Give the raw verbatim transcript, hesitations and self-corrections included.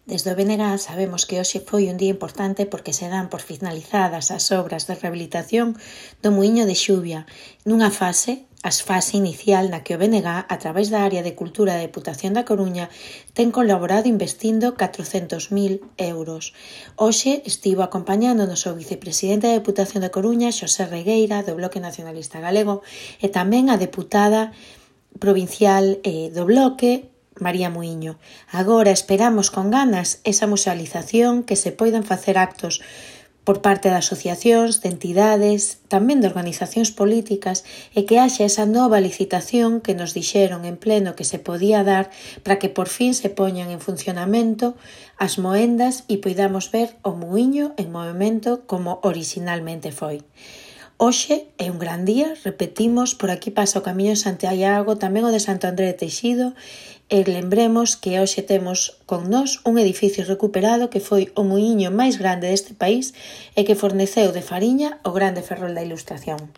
Desde o B N G sabemos que hoxe foi un día importante porque se dan por finalizadas as obras de rehabilitación do Muíño de Xuvia, nunha fase, a fase inicial na que o B N G, a través da Área de Cultura da Deputación da Coruña, ten colaborado investindo catrocentos mil euros. Hoxe estivo acompañándonos o vicepresidente da Deputación da Coruña, Xosé Regueira, do Bloque Nacionalista Galego, e tamén a deputada provincial eh, do Bloque, María Muíño. Agora esperamos con ganas esa musealización, que se poidan facer actos por parte de asociacións, de entidades, tamén de organizacións políticas e que haxa esa nova licitación que nos dixeron en pleno que se podía dar para que por fin se poñan en funcionamento as moendas e poidamos ver o Muíño en movimento como originalmente foi. Hoxe é un gran día, repetimos, por aquí pasa o Camiño de Santiago, tamén o de Santo André de Teixido, e lembremos que hoxe temos con nós un edificio recuperado que foi o muíño máis grande deste país e que forneceu de fariña o grande Ferrol da Ilustración.